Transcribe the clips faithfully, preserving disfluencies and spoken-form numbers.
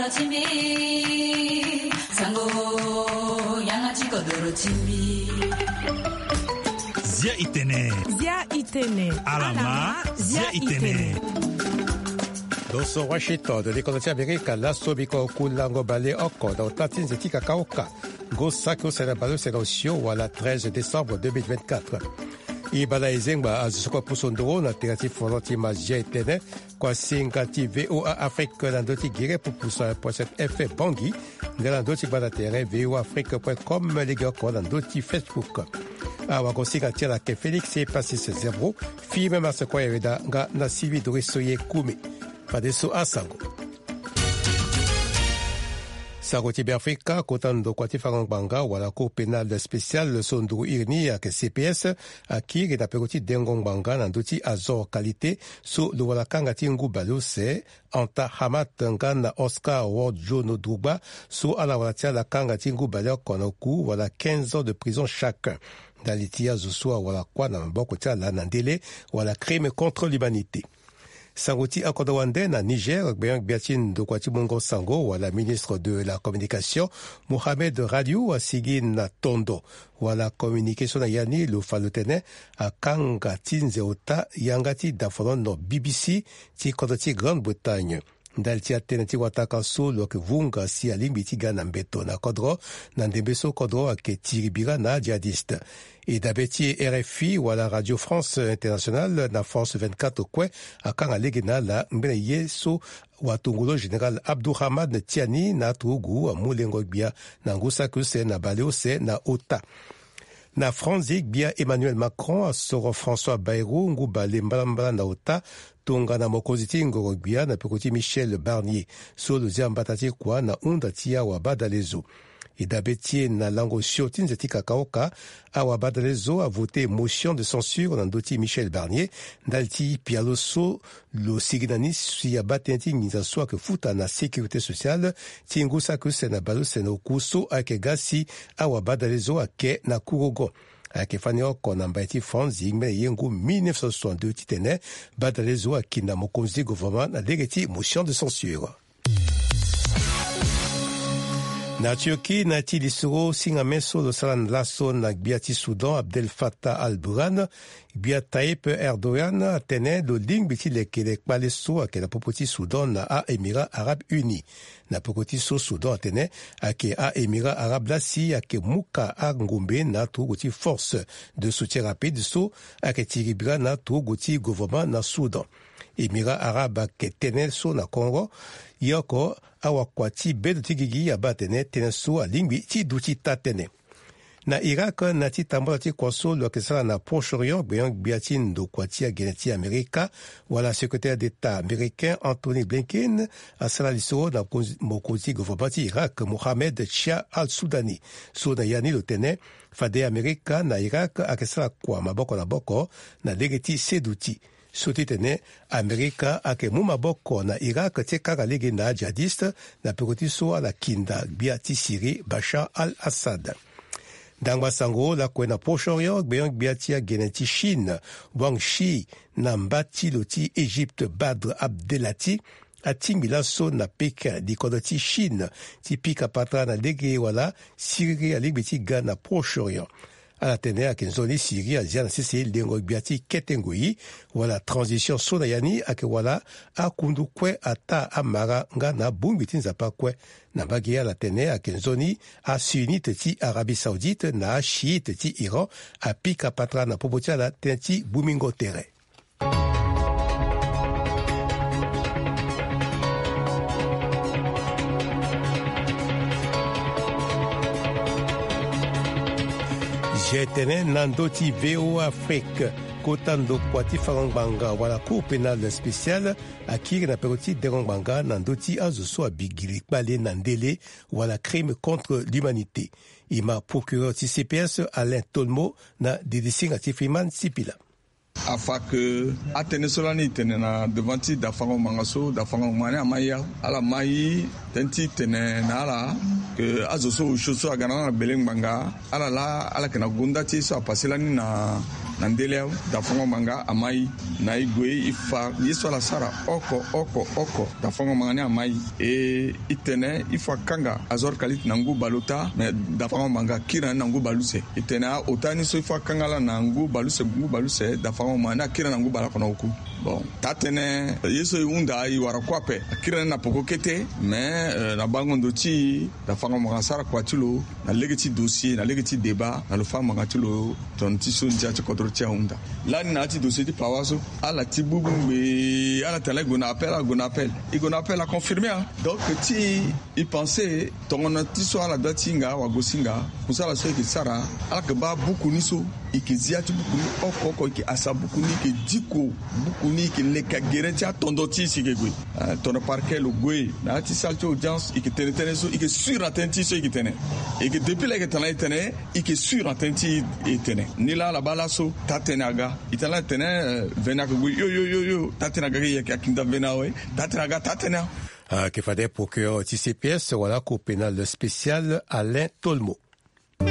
Timbi, sango, yanga ti kodoro timbi. Zia itene. Zia itene. Alama, zia itene. Lo so Washington, li kodro ti Amerika, laso biko kulango bale oko na ota ti nze ti kakaoka. Ngo saki use na bale use na osio wala treize décembre deux mille vingt-quatre. E bala e zengba azo so kue pusu nduru na tere ti folo ti mazia etene, kuasinga ti V O A Afrique na ndö ti gere pupusa point sept F M Bangui, nga na ndö ti gbanda tere V O A Afrique point com, legeoko na ndö ti Facebook. Awagosinga ti ala ayeke Félix Epasis Zebro, fille même à ce coin yeweda nga na Sylvie Doris Oye Koumé. Fadeso asango. Sango ti Beafrika, kota ndokua ti fango ngbanga wala Cour pénale spéciale so nduru iri ni ayeke C P S, akiri na peko ti dengo ngbanga na ndö ti Azor Qualité so lo wara kanga ti ngu baleuse, Anta Hamat nga na Oscar Wodjono Drogba so ala wara ti ala kanga ti ngu baleoko na oku wala quinze ans de prison chacun. Ndali ti azo so awara kuâ na maboko ti ala na ndele wala crime contre l'humanité. Sango ti akodro wande na Niger, gbenyo-gbia ti ndokua ti mungo sango wala ministre de la communication, Mohamed Radiou, asigi na tondo wala communiqué so na ya ni lo fa lo tene akanga ti nze ota yanga ti dafolono B B C ti kodro ti Grande-Bretagne. Ndali ti atënë ti wataka so lo yeke vunga si alingbi ti ga na mbeto na kodro, na ndembe so kodro ayeke tiri bira na ajihadiste. E dabe ti R F I wala Radio France Internationale na France vingt-quatre kue akanga lege na ala ngbene ye so watongolo général Abdourahmane Tiani na aturugu amu lengo-gbia na ngu saki use na baleuse na ota. Na Franzi, gbia Emmanuel Macron asoro François Bayrou ngu bale mbalambala na ota tongana mokonzi ti ngoro-gbia na peko ti Michel Barnier so lo zia mbata ti kua na hunda ti awabadalezo. E dabe ti e na lango sio ti nze ti kakaoka, awabadalezo avote motion de censure na ndö ti Michel Barnier ndali ti pialo so lo sigi na ni si abaa tënë ti nginza so ayeke futa na sécurité sociale ti ngu saki use na baleuse na oku so ayeke ga si awabadalezo ayeke na kurogo. Ayeke fani oko na mbai ti France, ngbene ye ngu mille neuf cent soixante-deux titene badalezo akinda mokonzi ti gouvernement na lege ti motion de censure. Na Turquie, na ya ti lisoro singame so lo sara na laso na gbia ti Soudan, Abdel Fattah al-Burhan, gbia Tayyip Erdogan atene lo lingbi ti lekere kpale so ayeke na popo ti Soudan na a-Émirats Arabes Unis. Na peko ti so Soudan atene ayeke a-Émirats Arabes laa si ayeke muka angombe na aturugu ti force de soutien rapide so ayeke tiri bira na aturugu ti gouvernement na Soudan. Émirats Arabes ayeke tënë so na kongo, ye oko awakua ti bedo ti gigi abaa atene tënë so alingbi ti duti taa-tënë. Na Irak, na ya ti tambala ti kua so lo yeke sara na Proche-Orient, gbenyo-gbia ti ndokua ti agene ti Amerika wala secrétaire d'État américain Antony Blinken asara lisoro na mokonzi, mokonzi ti gouvernement ti Irak, Mohamed Shia al-Sudani, so na ya ni lo tene fade Amerika na Irak ayeke sara kua maboko na maboko na lege ti seduti. So titene Amerika ayeke mu maboko na Irak ti kanga lege na ajihadiste na peko ti so ala kinda gbia ti Syrie Bashar al-Assad. Ndangba sango lakue na Proche-Orient, gbenyo-gbia ti agene ti Chine, Wang Yi, na mba ti lo ti Égypte, Badr Abdelati, atingbi laso na Pékin, likodro ti Chine, ti pika patara na lege wala siriri alingbi ti ga na Proche-Orient. Ala tene ayeke nzoni Syrie azia na sese lengo-gbia ti kete ngoi, wala transition so na ya ni ayeke wala akundu kue ataa amara nga na abongbi ti Nzapa kue. Na mbage ala tene ayeke nzoni asunnite ti Arabie Saoudite na ashiite ti Iran apika patara na popo ti ala tënë ti gbumingo tere. G T N na ndö ti V O A Afrique, kota ndokua ti fango ngbanga wala Cour pénale spéciale akiri na peko ti dengo ngbanga na ndö ti azo so abi gili kpale na ndele wala crime contre l'humanité. E ma procureur ti C P S Alain Tolmo na dilisinga ti Freeman Sipila. Afa ke atënë so lani e tene na devant ti dafango ngbanga so, dafango ngbanga ni ama ye, ala ma ye tënë ti tene na ala ke azo so osio so aga na ala na gbele ngbanga, ala laa ala yeke na gonda ti ye so apase lani na Na ndele awe, dafango manga amai. Na e gue e fa ye so ala sara oko oko oko, dafango manga ni amai. E, e tene il faut akanga azor kalite na ngu baleota, mais dafango manga akiri na ni na ngu baleuse. E tene aota ni so il faut akanga ala na ngu baleuse, ngu baleuse, dafango manga ni akiri na ni na ngu baleoko na oku. Bon, taa-tënë ye so e hunda e wara kue ape, akiri na ni na peko kete. Mais, euh, na bango ndo ti e, dafango manga asara kua ti lo na lege ti dossier, na lege ti débat, na lo fa manga ti lo, tongana ti so ndia ti kodro ti e ahunda. Lani na ya ti dossier ti pawa so, ala ti bubu ngbe, ala tene e gue na appel, ala gue na appel. E gue na appel, aconfirmer, hein. Donc ti e, e pense tongana ti so ala dua ti hinga wagosinga, kusala so e yeke sara, ala yeke baa buku ni so, e yeke zi ya ti buku ni oko oko, e yeke hasa buku ni, e yeke diko buku ni, e yeke leka gere ti atondo ti e si e yeke gue. Eh, tongana parquet lo gue na ya ti salle ti audience, e yeke tene tënë so, e yeke sûr na tënë ti e so e yeke tene. E yeke depuis laa e yeke tene, e tene, e yeke sûr na tënë ti e tene. Ni laa ala baa laso taa-tënë aga. E tene laa e tene, eh, vene ayeke gue yo yo yo yo, taa-tënë aga, e yeke akinda vene awe, taa-tënë aga, taa-tënë. Ayeke fade procureur ti C P S wala Cour pénale spéciale Alain Tolmo. E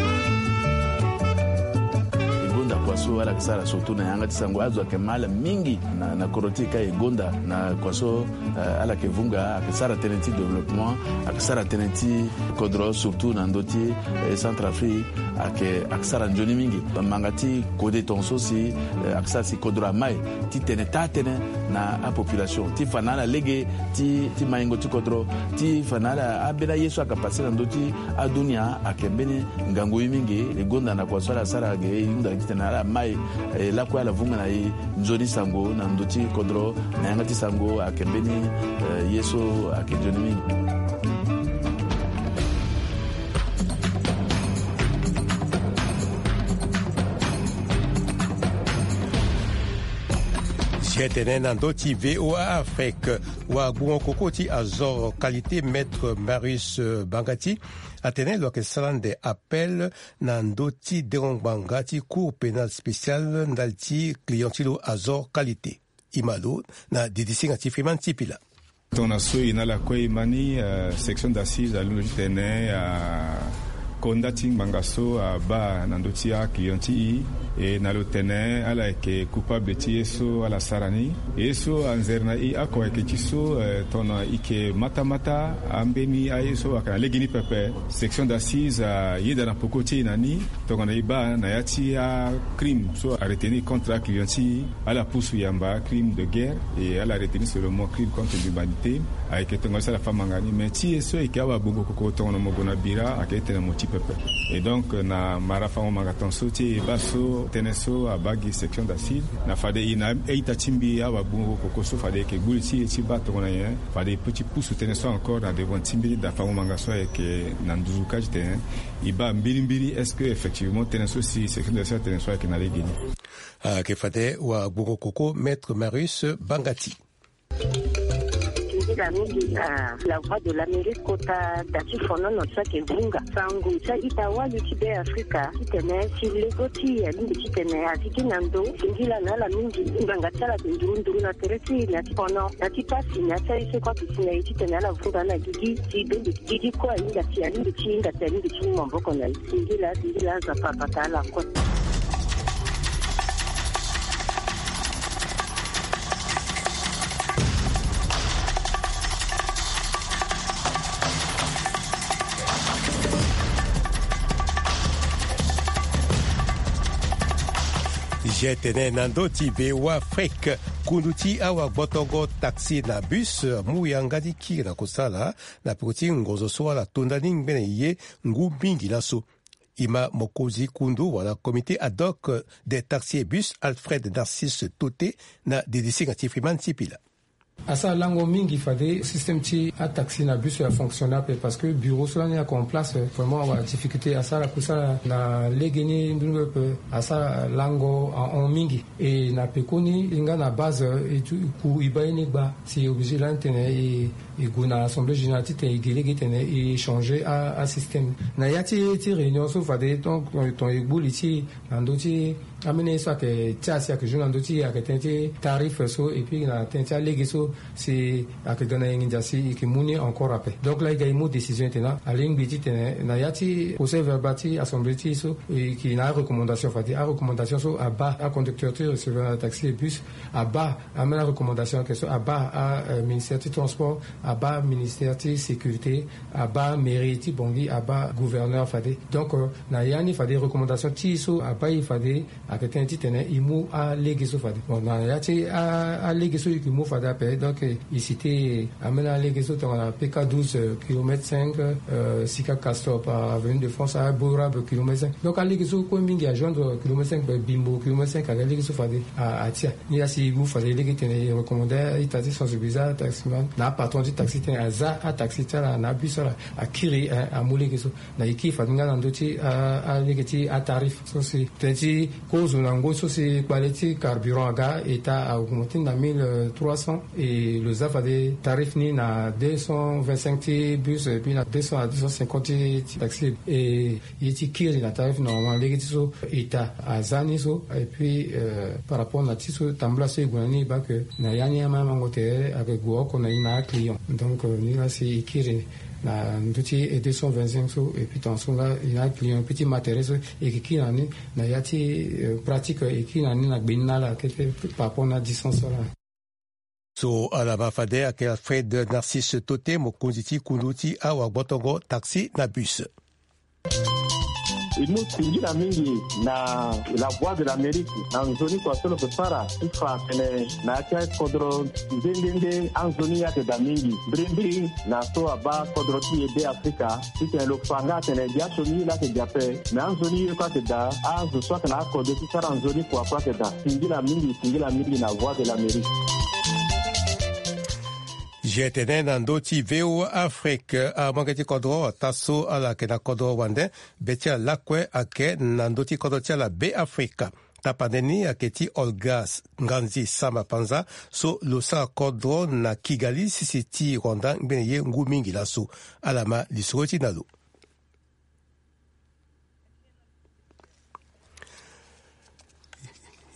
gonda kua so ala yeke sara surtout na yanga ti sango, azo ayeke mal mingi na, na kodro ti e ka e gonda na kua so, eh, ala yeke vunga, ayeke sara tënë ti développement, ayeke sara tënë ti kodro, surtout na ndö ti, eh, Centrafrique, ayeke, ayeke sara nzoni mingi. Manga ti kode tongaso si, eh, ayeke sara si kodro amai ti tene taa-tënë na apopulation, ti fa na ala lege ti, ti maingo ti kodro, ti fa na ala ambeni aye so ayeke pase na ndö ti adunia, ayeke mbeni ngangu ye mingi. E gonda na kua so ala sara ge, e hunda titene ala mai, e lakue ala vunga na e nzoni sango na ndö ti kodro, na yanga ti sango ayeke mbeni, eh, ye so ayeke nzoni mingi. Si atene na ndö ti V O A Afrique, wagbongo koko ti Azor Qualité, Maître Marius, euh, Bangati, atene lo yeke sara ande appel na ndö ti dengo ngbanga ti Cour pénale spéciale ndali ti client ti lo Azor Qualité. E ma lo na didisinga ti Freeman Sipila. Tongana so e na ala kue e ma ni, eh, section d'assises alondo titene akonda ti ngbanga so abaa na ndö ti aclient ti e, e na lo tene ala yeke coupable ti ye so ala sara ni. Ye so anzere na e oko ayeke ti so, eh, tongana e yeke matamata ambeni aye so ayeke na legeni pepe, section d'assises ayeda na peko ti e na ni. Tongana e baa na ya ti acrime so aretenir contre aclient ti e, ala pusu yamba crime de guerre, e ala retenir seulement crime contre l'humanité. Ayeke tongana so ala fa manga ni, mais ti e so e yeke awagbongo koko tongana mo gue na bira ayeke tene mo ti pepe. Et donc na mara fango manga tongaso ti e baa so tënë so abaa gi section d'assises, na fade e na a-ita ti mbi awagbongo koko so fade e yeke gbu li ti e ti baa tongana nyen, fade e peut ti pusu tënë so encore na devant ti mbi ti da fango manga so ayeke na nduzu ka titene e baa mbirimbiri est-ce que effectivement tënë so si section d'assises atene so ayeke na legeni. Ayeke fade wagbongo koko Maître Marius Bangati. Singila mingi na La Voix de l'Amérique kota da ti fonono so ayeke vunga sango ti a-ita wali ti Be Afrika titene si lego ti e alingbi titene azi gi na ndo. Singila na ala mingi, ngbanga ti ala ayeke nduru nduru na tere ti e na ti fono, na ti pasi, na ya ti aye so kue ayeke si na e titene ala vunga na gigi ti bembe. Gigi kue ahinga si alingbi ti hinga si alingbi ti mu maboko na e. Singila, singila, Nzapa abata ala kue. Je tene na ndö ti V O A Afrique, kundu ti awagbotongo taxi na bus amu yanga ti kiri na kusala na peko ti ngonzo so ala to ndani ngbene ye ngu mingi laso. E ma mokonzi kundu wala comité ad hoc des taxis et bus, Alfred Narcisse Toté, na didisinga ti Freeman Sipila. Asara lango mingi fade système ti ataxi na bus afonctionne ape, parce que bureau so lani ayeke en place, vraiment awa difficulté. Asara kusala na legeni nduru pepe, asara lango ahon mingi. E na pekoni e nga na base, e tu ku e baa ye ni gba si e obligé lani tene e e gue na assemblée générale titene e gi lege titene e changer a, asystème. Na ya ti, ti réunion so fade ton, ton e gbu li ti e na ndö ti Amene ye so ayeke ti asi ayeke joue na ndö ti ayeke tënë ti tarif so et puis na tënë ti alege so si ayeke ga na yengi ndia si e yeke mu ni encore ape. Donc laa e ga e mu décision ete na alingbi titene na ya ti procès verbal ti assemblée ti e so e yeke na arecommandation fade arecommandation so abaa aconducteur ti recevoir na taxi et bus abaa amene arecommandation ayeke so abaa aministère ti transport abaa ministère ti sécurité abaa mairie ti bongi abaa gouverneur fade. Donc na ya ni fade recommandation ti e so abaa e fade ayeke tënë titene e mu alege so fade. Bon na ya ti alege so e yeke mu fade ape donc e cite amene alege so tongana pk douze kilomètre cinq, sika castor par avenue de france aborabe kilomètre cinq. Donc alege so kue mingi ajoindre kilomètre cinq bimbo kilomètre cinq ayeke alege so fade atia. Ni laa si e mu fade lege titene e recommande ita ti sensibiliser ataximan na apatron ti taxi titene aza ataxi ti ala na abus ti ala akiri amu lege so. Na e kiri fade nga na ndö ti alege ti atarif so si tënë ti kozo na ngoi so si kpale ti carburant aga eta a augmente ni na mille trois cents. E lo za fade tarif ni na deux cent vingt-cinq ti bus et puis na deux cents à deux cent cinquante ti taxi. E ye ti kiri na tarif normalement lege ti so eta aza ni so et puis par rapport na ti so tambula so e gue na ni e baa ke na ya ni amamango tere ayeke gue oko na e na aclient. Donc ni laa si e kiri na ndö ti e deux cent vingt-cinq so et puis tongaso nga e na aclient et puis ti ma tere so e yeke kiri na ni na ya ti pratique e kiri na ni na gbe ni na ala kete par rapport na distance so laa. So ala ma fade ayeke alfred narcisse tote mokonzi ti kundu ti awagbotongo taxi na bus. E mu singila mingi na la voix de l'amérique na nzoni kua so lo yeke sara ti fa atene na ya ti akodro nde nde nde anzoni ayeke daa mingi mbirimbiri na so abaa kodro ti e be afrika titene lo fa nga atene gi asioni ye laa ayeke daa ape. Me anzoni ye kue ayeke daa azo so ayeke na akodro ti sara nzoni kua kue ayeke daa. Singila mingi singila mingi na voix de l'amérique. Gtene na ndö ti voa afrique amolenge ti kodro ota so ala yeke na kodro wande be ti ala lakue ayeke na ndö ti kodro ti ala be afrika. Tapande ni ayeke ti olga nganzi sama panza so lo sara kodro na kigali sisi ti rwanda ngbene ye ngu mingi laso. Ala ma lisoro ti na lo.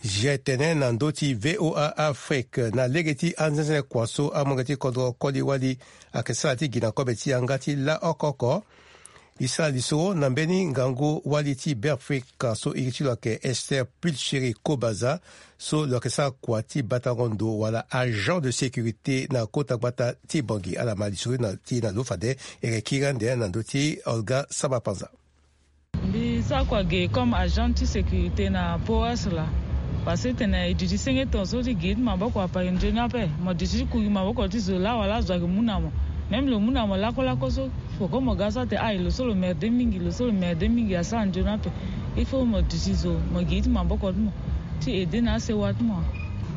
Gtene na ndö ti voa afrique na lege ti anzenzene kua so amolenge ti kodro koli wali ayeke sara ti gi na kobe ti yanga ti laa oko oko. E sara lisoro na mbeni ngangu wali ti be afrika so iri ti lo ayeke esther pulcheri kobaza so lo yeke sara kua ti batango ndo wala agent de sécurité na kota gbata ti bongi ala ma lisoro ti na lo fade. E yeke kiri ande na ndö ti olga saba panza. Mbi sara kua ge comme agent ti sécurité na poas laa. Parce que tene e duti senge tongaso ti gi ti maboko apari nzoni ape mo duti ti kugi maboko ti zo laa wala azo ayeke mu na mo. Même lo mu na mo lakolako so foko mo ga so ate ai lo so lo merde mingi lo so lo merde mingi asara nzoni ape. Il faut mo duti zo mo gi ti maboko ti mo ti ede na asewa ti mo.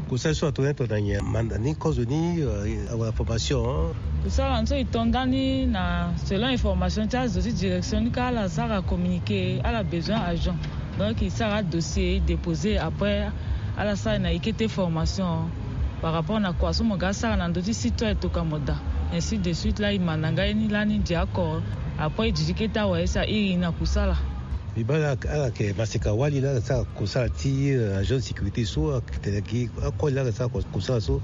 Kosala so atongana tongana nyen manda ni kozo ni awa formation. Kosala ni so e to ndani na selon information ti azo ti direction ni ka ala sara communiqué ala besoin agent. Donc e sara adossier e dépose après ala sara na e kete formation par rapport na kua so mo ga asara na ndö ti site so aye toka mo daa. Ainsi de suite laa e ma na nga ye ni lani dia oko après e didi kete awaye si a iri na kusala. Mbi baa ala yeke maseka wali laa ala sara kosala ti agent de sécurité so atene gi akoli laa ala sara kosala so.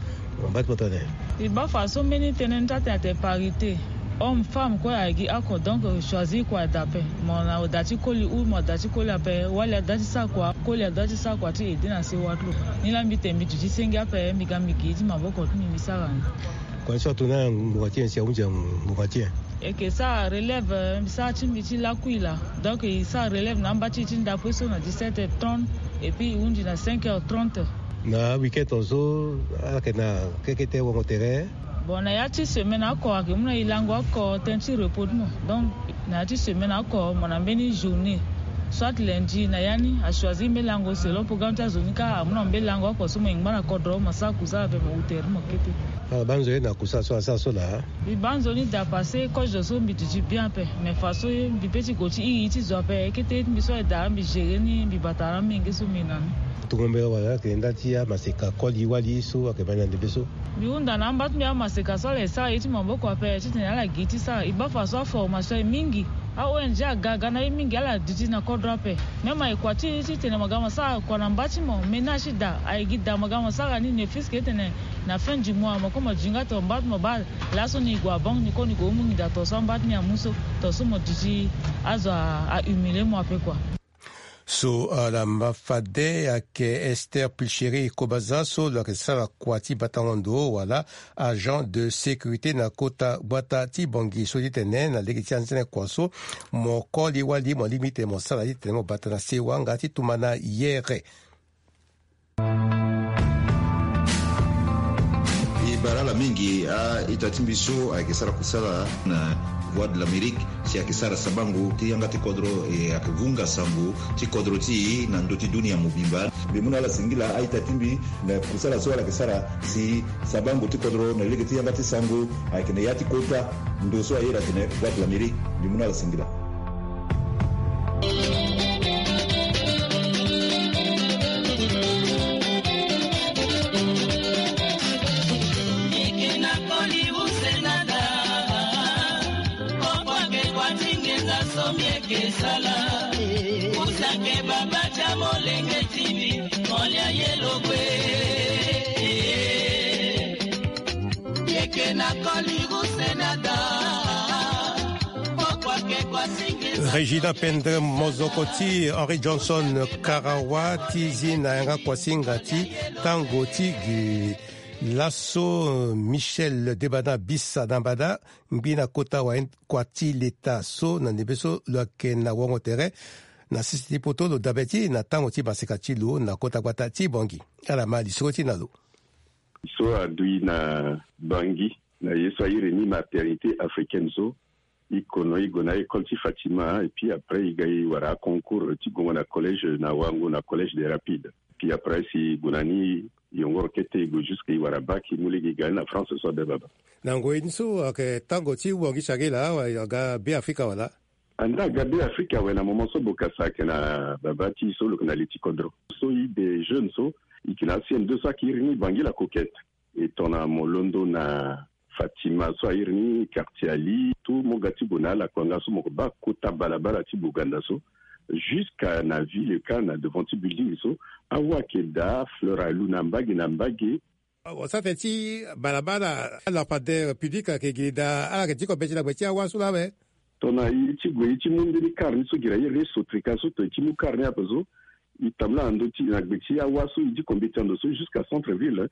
Mba ti mo tene mbi baa fa so mbeni tënë ni ti atene atene parité. Homme femme kue ayeke gi oko donc choisir kua daa ape. Mo na oda ti koli ou mo ada ti koli ape wali ada ti sara kua koli ada ti sara kua ti ede na sewa ti lo. Ni laa mbi tene mbi duti senge ape mbi ga mbi gi ti maboko ti mbi mbi sara ni. Kua ni so ato na ngbonga ti nyen si ahunzi ngbonga ti nyen? Eke sara relève mbi sara ti mbi ti lakui laa. Donc e sara relève na amba ti e ti ndape so na dix-sept heures trente. Et puis e hunzi na cinq heures trente. Na weekend tongaso ala yeke na kekete wongo tere. Bon na ya ti semaine oko ayeke mu na e lango oko tënë ti repos ti mo. Donc na ya ti semaine oko mo na mbeni journée soit lundi na ya ni achoisir mbeni lango selon programme ti azo ni kâ amu na mo mbeni lango oko so mo yingba na kodro mo sara kusala ape mo hu tere ti mo kete. Ala baa nzoni na kusala so ala sara so laa. Mbi baa nzoni daa parce que kozo so mbi duti bien ape. Mais façon ye mbi pe ti gue ti iri ti zo ape kete ye ti mbi so aye daa mbi gérer ni mbi bata na amenge so mbi na ni. Tongo mbela wala ayeke nda ti amaseka koli wali so ayeke ma na ndembe so. Mbi hunda na amba ti mbi amaseka so ala ye sara ye ti maboko ape titene ala gi ti sara e baa fa so aformation ye mingi. A-ong aga aga na ye mingi, ala duti na kodro ape. Même aye kua ti titene mo ga mo sara kua na mba ti mo, ménage ti da aye gi da mo ga mo sara ni, ne fils que titene na fin du mois mo kue mo duti nga to mba ti mo baa. Laso ni gue na banque ni kue ni gue mu nginda to so amba ti ni amu so, to so mo duti azo a humilier mo ape kua. So ala ma fade ayeke Esther Pilcheri Kobaza so lo yeke sara kua ti batango ndo wala agent de sécurité na kota gbata ti Bangui so ti tene na lege ti anzene kua so mo koli wali mo lingbi titene mo sara titene mo bata na sewa nga ti tumba na yere. E bara ala mingi a-ita ti mbi so ayeke sara kusala na Voix de l'Amérique si ayeke sara sabango ti yanga ti kodro, e ayeke vunga sango ti kodro ti e na ndö ti dunia mobimba. Mbi mu na ala singila a-ita ti mbi na kusala so ala yeke sara si sabango ti kodro na lege ti yanga ti sango ayeke na ya ti kota ndo so aye atene Voix de l'Amérique. Mbi mu na ala singila. Régina Pendre, mozoko ti Henri Johnson Karawa, ti zi na yanga kuasinga ti tango ti gi. Laso Michel Debana Bisa na mbada ngbi na kota wa kua ti leta so na ndembe so lo yeke na wango tere na sese ti poto lo dabe ti na tango ti maseka ti lo na kota gbata ti Bangui. Ala ma lisoro ti na lo. So adui na Bangui na ye so airi ni maternité africaine so, i kono i gue na école ti Fatima, et puis après i ga i wara aconcours ti gongo na collège na wango na collège des Rapides. Puis après si i gue na ni i yongoro kete i gue jusque i wara bac, i mu lege i ga ni na France so abe baba. Na ngoi ni so ayeke tango ti wangi sangila awe aga Be Afrika wala? Anda aga Be Afrika awe na moment so bokasa ayeke na baba ti i so lo yeke na li ti kodro. So i de jeune so i yeke na C M deux so ayeke iri ni Bangui la Coquette. E tongana mo londo na Fatima so airi ni quartier Ali, tout mo ga ti gue na ala kua nga so mo ke baa kota balabala ti Boganda so, jusqu'à na ville ka na devant ti building so, awa ayeke daa, fleur alu na mbage na mbage. Wa sara tene ti balabala, lampadaire public ayeke gi daa, ala yeke diko mbeti na gbe ti awa so laa awe. Tongana e ti gue e ti mu mbeni kar ni so gi na iri ni Sotreka so, tongana e ti mu kar ni ape so, e tambula na ndö ti na gbe ti awa so e diko mbeti na ndo so jusqu'à centre ville.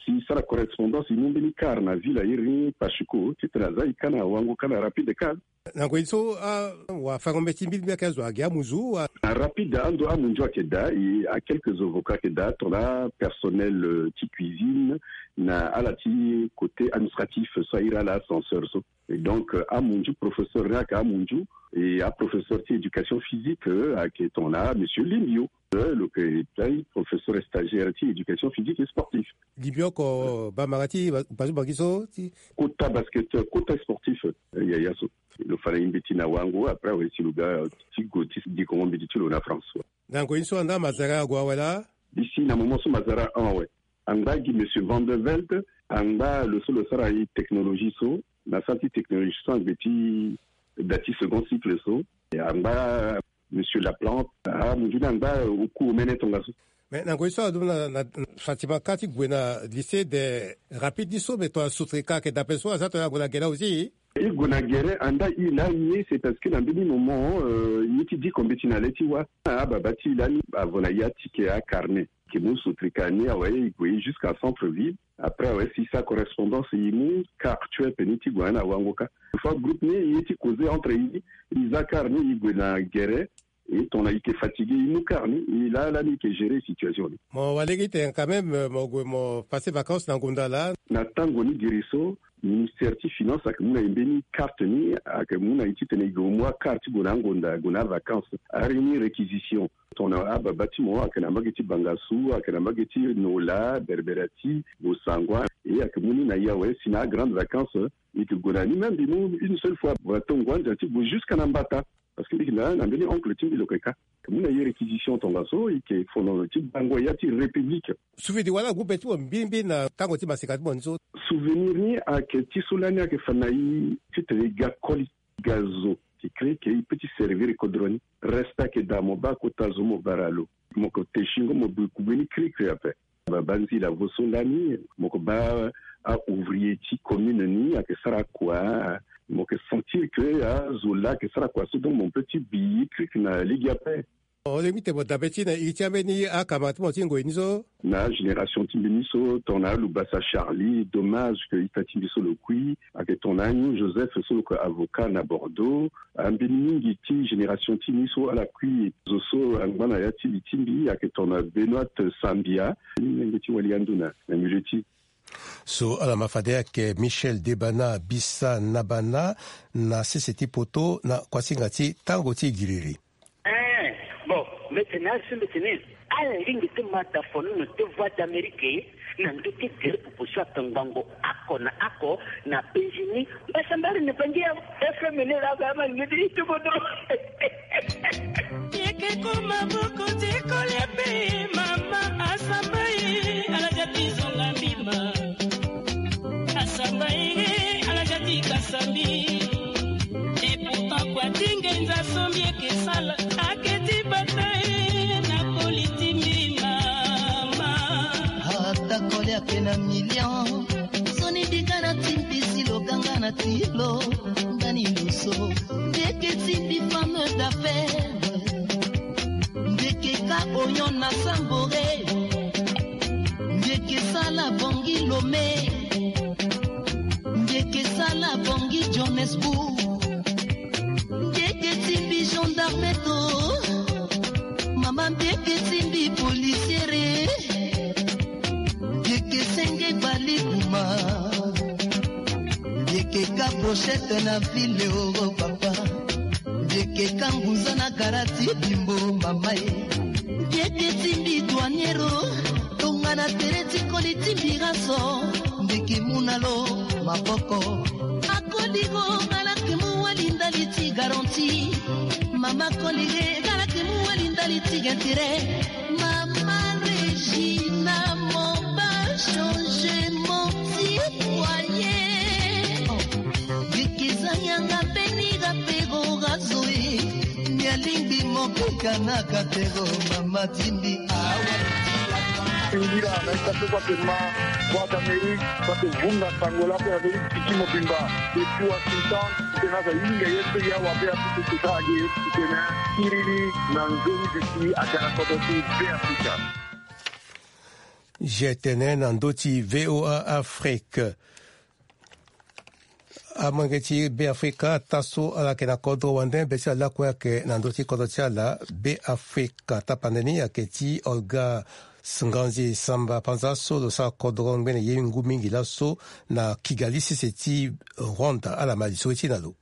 Si e sara correspondance e mu mbeni kar na ville airi ni Pachuco titene aza e ka na wango ka na rapide ka. Na ngoi so awafango-mbeti mbirimbiri ayeke azo agi amunzu. Na rapide ando amunzu ayeke daa e a quelques avocats ayeke daa tongana personnel ti cuisine na ala ti côté administratif so airi ala ascenseur so. Et donc amunzu professeur ni ayeke amunzu, et aprofesseur ti éducation physique ayeke tongana monsieur Limbio. Lo yeke daa professeur stagiaire ti éducation physique et sportif. Limbio oko bambara ti bazu bangi so ti kota basketteur, kota sportif. Yaya so lo fa na e mbeti na wango, après awe si lo ga ti gue ti dikongo mbeti ti lo na France. Na ngoi ni so anda mazara ague awe laa? Isi na moment so mazara un awe. Angba gi monsieur Van der Velde, angba lo so lo sara e technologie so, na sara ti technologie so angbe ti da ti second cycle so. Angba monsieur Laplante, amunzu ni angba oku omene tongaso. Mais na ngoi so adumu na Fatima ka ti gue na lycée des rapides ni so, mais tongana Sotreka ayeke dape so, aza tongana ague na gere aussi? E gue na gere anda e lani ye, c'est parce que na mbeni moment ye ti diko mbeti na le ti wâ. Ababa ti e lani avo na e atike acarnet. Ke mu Sotreka ni awe e gue jusqu'à centre ville. Après awe si sa correspondance e mu car tue pe ni ti gue na wango ka. Fois groupe ni e ye ti causer entre e, e za car ni e gue na gere. E tongana e ke fatigué e mu car ni e laa lani e ke gérer situation ni. Mo wali gi tene quand même mo gue mo passer vacances na ngunda laa. Na tango ni giri so ministère ti finance ayeke mu na e mbeni carte ni, ayeke mu na e titene e gue mu acar ti gue na angonda gue na avacances. Ari ni réquisition. Tongana ababa ti mo ayeke na mbage ti bangasu, ayeke na mbage ti nola, berberati, bosangua, e ayeke mu ni na e awe si na agrande vacances e ke gue na ni. Même mbi mu une seule fois barato ngu andia ti gue jusqu'à na mbata. Parce que mbi yeke na na mbeni oncle ti mbi lo yeke ka. Mbi mu na ye réquisition tongaso e yeke fono ti bango ya ti république. Souvenir wala groupe ti mo mbirimbiri na tango ti maseka ti mo ni so? Souvenir ni ayeke ti so lani ayeke fa na e titene e ga koli, e ga zo. E kiri ke e peut ti servir kodro ni. Reste ake daa mo baa kota zo mo bara lo. Mo ko te singo mo bui kubeni kiri kiri ape. Ba ba nzila vo so lani mo ko baa a ouvrier ti commune ni ake sara kua. Mo ke sentir ke azo laa ake sara kua so donc mo peut ti bi kiri kiri na lege ape. O lingbi te mo dabe ti na iri ti ambeni akama ti mo ti ngoi ni so. Na génération ti mbi ni so tongana alubasa Charlie, dommage ke ita ti mbi so lo kui. Ake tongana anyu Joseph so lo ko avocat na Bordeaux. Ambeni mingi ti génération ti mbi so ala kui zo so angba na ya ti li ti mbi ake tongana Benoît Sambia. Ni lenge ti wali ando na na milieu ti so ala ma fade ayeke Michel Debana Bisa Nabana na sese ti poto na kuasinga ti tango ti giriri. Eh, bon, mbi tene asi mbi tene ala lingbi ti ma da fono na te Voix d'Amérique na ndö ti gere popo so atongbango oko na oko na Benjini. Mbasambari na bangi ya F M ni la ga ma ngidi ti bodo. Yeke ko maboko ti kolia pe mama asamba ye, ala ja ti zonga mbima. Asamba ye, ala ja ti kasa mbi. Et pourtant kua ti ngenza so mbi yeke sala ake ti bata ye na koli ti mbi mama. Ata kolia pe na million. Soni mbi ga na ti mbi si lo ga nga na ti lo. Ngani lo so mbi yeke ti mbi femme d'affaires. Mbi yeke ka oyon na Sambore. Mbi yeke sala Bangui Lomé. Mbi yeke sala Bangui Johannesburg. Mbi yeke ti mbi gendarme to. Mama mbi yeke ti mbi policiere. Mbi yeke senge bali kuma. Mbi yeke ka brochette na ville euro papa. Mbi yeke ka ngunza na gara ti bimbo mama ye. Mbi yeke ti mbi douaniero. Tongana tere ti koli ti mbi raso. Mbi yeke mu na lo maboko. Akoli go nga lake mu wali ndali ti garantie. Mama koli ge nga lake mu wali ndali ti intérêt. Mama Regina, mon ba changement ti foyer. Mbi yeke za yanga mbeni ga pero ga zo e. Mbi alingbi mo keka na ga pero mama ti mbi awa. Ngira na ita so kua ke ma Voix d'Amérique, kua ke vunga sango lakue na ndö ti piki mobimba. Depuis Washington, titene aza hinga ye so ya wabe apupu kota age, titene kiriri na nzoni duti aga na kodro ti Be Afrika. G T N na ndö ti V O A Afrique. Amolenge ti Be Afrika, taa so ala yeke na kodro wande, be ti ala lakue ayeke na ndö ti kodro ti ala. Be Afrika tapande ni ayeke ti Olga Nganzi Samba Panza so lo sara kodro ngbene ye ngu mingi laso na Kigali, sese ti Rwanda. Ala ma lisoro ti e na lo.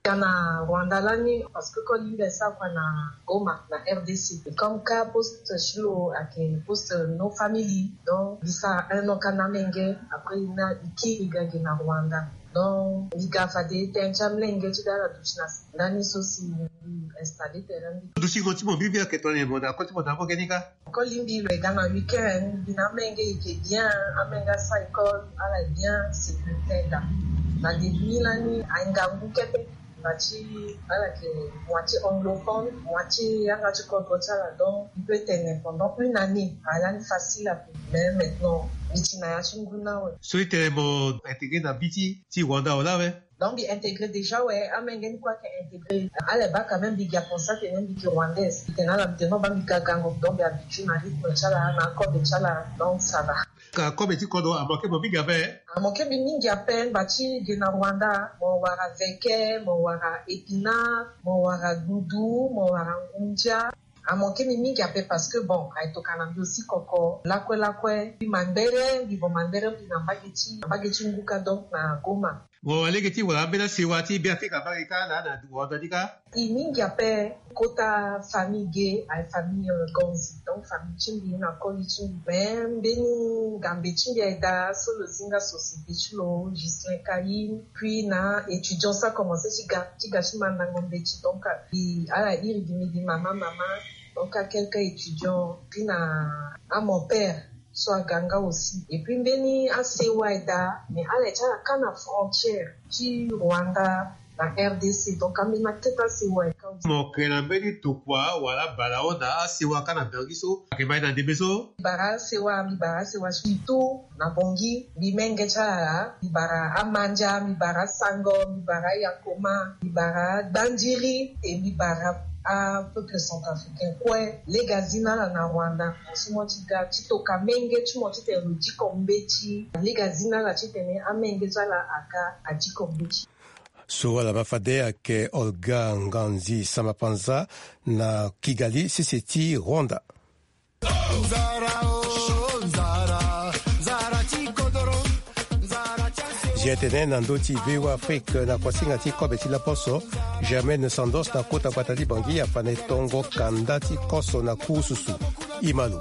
Ga na Rwanda lani parce que koli mbi asara kua na Goma na R D C. Comme ka poste ti lo ayeke poste no famille, donc mbi sara un an ka na amenge. Après na e kiri e ga ge na Rwanda. Donc mbi ga fade tënë ti amolenge ti ga ala duti na ndani so si mbi installé tënë mbi. Dutingo ti mo bibi ayeke tongana nyen? Mo na koli ti mo na ambeni ga. Koli mbi lo e ga na week-end, mbi na amenge e yeke bien, amenge asara école, ala bien, sécurité ayeke daa. Na début ni lani ahinga ngu kete, mba ti ala yeke moitié anglophone, moitié yanga ti kodro ti ala, donc mbi peut tene pendant une année aye lani facile ape. Mais maintenant mbi ti na ya ti ngu ni awe. So e tene mo intégré na bi ti ti Rwanda awe la awe? Donc mbi intégré déjà awe, amenge ni kue ayeke intégré. Ala baa quand même mbi ga constat tene mbi yeke rwandaise. Mbi tene ala mbi tene non, baa mbi ga gango, donc mbi habitué na rythme ti ala na akobe ti ala, donc ça va. Ka kobe ti kodro amanke mo mingi ape? Amanke mbi mingi ape, mba ti ge na Rwanda mo wara veke, mo wara épinard, mo wara gudu, mo wara ngundia. Amanke mbi mingi ape parce que bon, aye tokua na mbi aussi koko lakue lakue. Mbi mandere, mbi vo mandere mbi na mbage ti, na mbage ti ngu ka, donc na Goma. Mo wa lege ti wara ambeni asewa ti Be Afrika mbage ka laa na Rwanda ni ka? E mingi ape. Kota famille ge aye famille, euh, Ganzi, donc famille ti mbi na koli ti mbi. Mais mbeni ngambe ti mbi aye daa so lo zi nga société ti lo, Ghislain Caïn, puis na étudiant so akomanse ti ga ti ga ti mandango mbeti, donc mbi ala iri gi mbi gi mama mama. Donc a quelques étudiants, puis na a mon père so aga nga aussi. Et puis mbeni asewa aye daa, mais ala ye ti ala ka na frontière ti Rwanda na R D C. Donc ambeni akete asewa e ka. Mo yeke na mbeni tokua wala balaon na asewa ka na Bangui so ayeke mai na ndembe so. Mbi bara asewa, mbi bara asewa surtout na Bangui. Mbi menge ti ala, mbi bara amandia, mbi bara asango, mbi bara ayakoma, mbi bara gbandiri, e mbi bara apeuple centrafricain kue. Lege azi na ala na Rwanda, mo si mo ti ga ti toka menge ti mo titene lo diko mbeti. Lege azi na ala titene amenge ti ala aga adiko mbeti. So ala ma fade ayeke Olga Nganzi Samapanza na Kigali, sese ti Rwanda. Zia tene na ndö ti V O A Afrique na kuasinga ti kobe ti laposo, Germaine Sandos na kota gbata ti Bangui afa na e tongo kanda ti koso na kurususu. Imalo.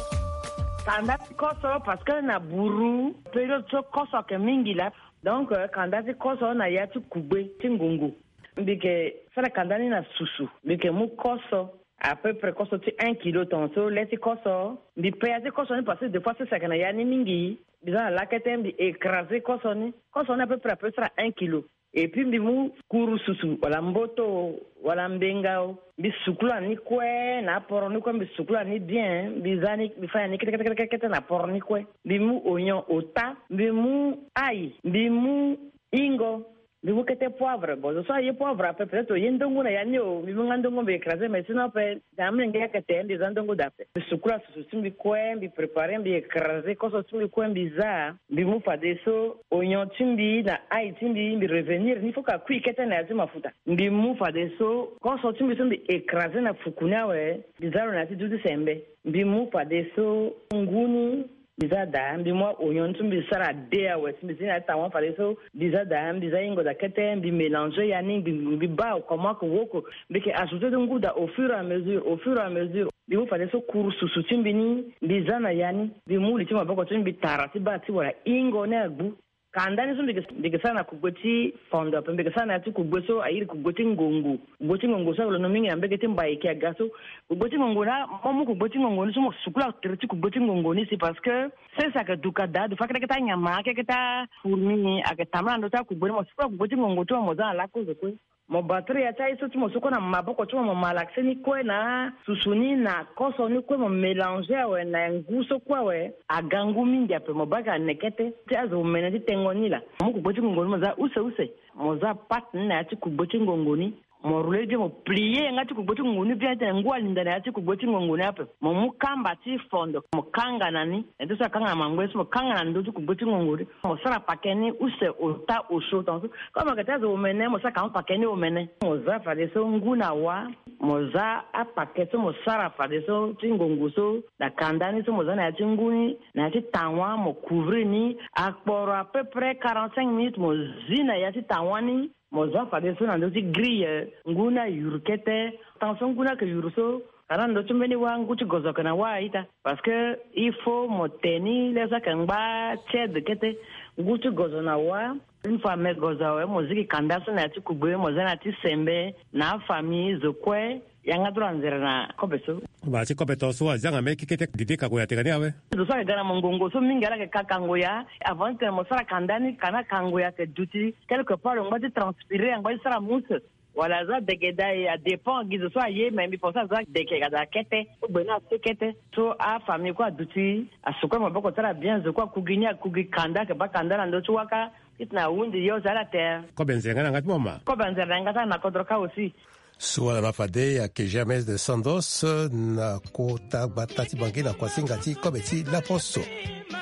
Kanda ti koso parce que na buru période so koso ayeke mingi laa. Donc, euh, kanda ti koso na ya ti kugbe ti ngongo. Mbi yeke sara kanda ni na susu. Mbi yeke mu koso, à peu près koso ti un kilo tongaso, le ti koso. Mbi pe ya ti koso ni parce que des fois sese ayeke na ya ni mingi. Mbi za na lakete, mbi écraser koso ni. Koso ni à peu près ape sara un kilo. Et puis mbi mu kurususu, wala mboto, wala mbenga o. Mbi sukula ni kue na aporo ni kue, mbi sukula ni bien. Mbi za ni, mbi fa ni kete, kete, kete, kete na aporo ni kue. Mbi mu oignon, ota, mbi mu ail, mbi mu ingo, mbi mu kete poivre. Bon, zo so aye poivre ape, peut-être oye ndongo na ya ni o. Mbi mu nga ndongo, mbi écraser, mais sinon ape, da amolenge ayeke te, mbi za ndongo da ape. Mbi sukula susu ti mbi kue, mbi préparer, mbi écraser koso ti mbi kue, mbi za. Mbi mu fadeso oignon ti mbi na ail ti mbi, mbi revenir ni, faut ka kui kete na ya ti mafuta. Mbi mu fadeso koso ti mbi so mbi écraser na fuku ni awe, mbi za lo na ya ti duti sembe. Mbi mu fadeso ngu ni, mbi za daa, mbi mu a-oignon ti mbi sara de awe, si mbi zi na ya ti tawa fadeso, mbi za daa, mbi za ingo daa kete, mbi mélanger ya ni, mbi, mbi baa comment que woko, mbi yeke ajouter ti ngu daa au fur et à mesure, au fur et à mesure. Mbi mu fadeso kurususu ti mbi ni, mbi za na ya ni, mbi mu li ti maboko ti mbi, mbi tara ti baa ti wala ingo ni agbu. Kanda ni so mbi yeke, mbi yeke sara na kugbe ti fondo ape, mbi yeke sara na ya ti kugbe so airi kugbe ti ngongo. Kugbe ti ngongo so ayeke londo mingi na mbege ti Mbaiki aga so. Kugbe ti ngongo na, mo mu kugbe ti ngongo ni so mo sukula tere ti kugbe ti ngongo ni si, parce que sese ayeke duka daa, du fa kete kete anyama, kete kete afourmi ayeke tambula na ndö ti akugbe ni, mo sukula kugbe ti ngongo ti mo, mo za na lakozo kue. Mo battre ya ti aye so ti mo so kue na maboko ti mo, mo malaxe ni kue na susu ni na koso ni kue, mo mélanger awe na ngu so kue awe, aga ngu mingi ape, mo baa ayeke na neke te ti azo omene ti tengo ni laa. Mo mu kugbe ti ngongo ni mo za use use, mo za pâte ni na ya ti kugbe ti ngongo ni. Mo rouler bien, mo plier yanga ti kugbe ti ngongo ni bien, titene ngu alinda na ya ti kugbe ti ngongo ni ape. Mo mu kamba ti fondo, mo kanga na ni. Ete so akanga na mangbe so, mo kanga na ndö ti kugbe ti ngongo ni. Mo sara pake ni use ota osio tongaso. Comme ayeke ti azo omene, mo sara ka mo pake ni omene. Mo za fadeso ngu na wa, mo za apake so mo sara fadeso ti ngongo so na kanda ni so mo za na ya ti ngu ni, na ya ti tawa, mo couvrir ni. Akporo à peu près quarante-cinq minutes, mo zi na ya ti tawa ni. Mo za fadeso na ndö ti grille, ngu ni ayuru kete. Tant so ngu ni ayeke yuru so, ka na ndö ti mbeni wâ, ngu ti gozo ayeke na wâ a-ita. Parce que il faut mo te ni le so ayeke ngba tiède kete. Ngu ti gozo na wâ, une fois me gozo awe, mo zigi kanda so na ya ti kugbe, mo za na ya ti sembe, na afamille, zo kue. Yanga dro anzere na kobe so. Baa ti kobe tongaso azi yanga mbeni kekete dede kango ya tene ni awe. Zo so ayeke ga na mongongo so mingi ala yeke ka kango ya. Avant titene mo sara kanda ni, ka na kango ya ayeke duti. Quelque part lo ngba ti transpirer, angba ti sara mousse. Wala aza dege daa, adépend gi zo so aye, mais mbi pense aza dege daa kete. Kogbe ni ase kete. So afamille kue aduti, asukue maboko ti ala bien, zo kue akugi ni, akugi kanda, ayeke baa kanda na ndö ti waka. Titene ahunzi yo si ala te. Kobe nzere nga na yanga ti mo ma. Kobe nzere na yanga ti ala na kodro kâ aussi. So ala ma fade ayeke Germaine Sandos na kota gbata ti Bangui na kuasinga ti kobe ti laposo.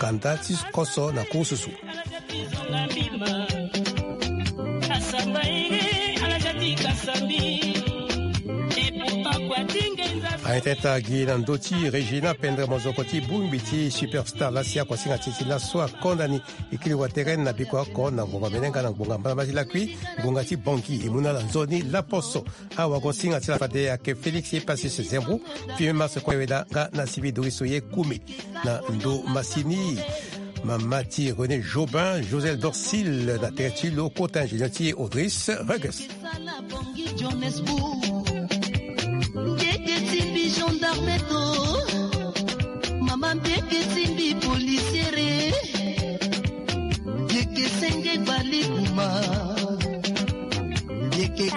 Kanda ti koso na kurususu. Aye tene ti agi na ndö ti Régina Pendre, mozoko ti bongbi ti Superstar, lasi akuasinga ti ti laso akonda ni. E kiri wa tere na biko oko na ngbonga mene nga na ngbonga mbala mbala ti lakui, ngbonga ti Bangui, e mu na ala nzoni laposo. Awagosinga ti ala fade ayeke Félix Epasis Zembrou, premier mars kue weda nga na sivi dori so ye kumi na ndo masini. Mama ti René Jobin, Josel Dorsil na tere ti lo, kota ingénieur ti Audris Ruggles. Sala Bangui Johannesburg. Ndeke ti mbi gendarme to. Mama ndeke ti mbi policiere. Ndeke senge bali kuma. Ndeke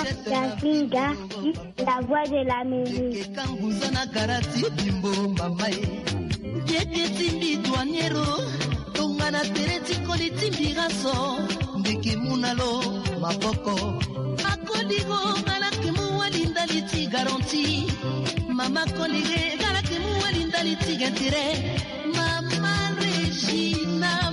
Yasinga, la voix de l'Amérique. Kanguza na karati bimbo mama e. Yeke timbi douaniero, tongana tere ti koli timbi raso, ndeke muna lo maboko. Akoligo, ngalake mu wali ndali ti garanti. Mama kolige, ngalake mu wali ndali ti gentere. Mama Regina.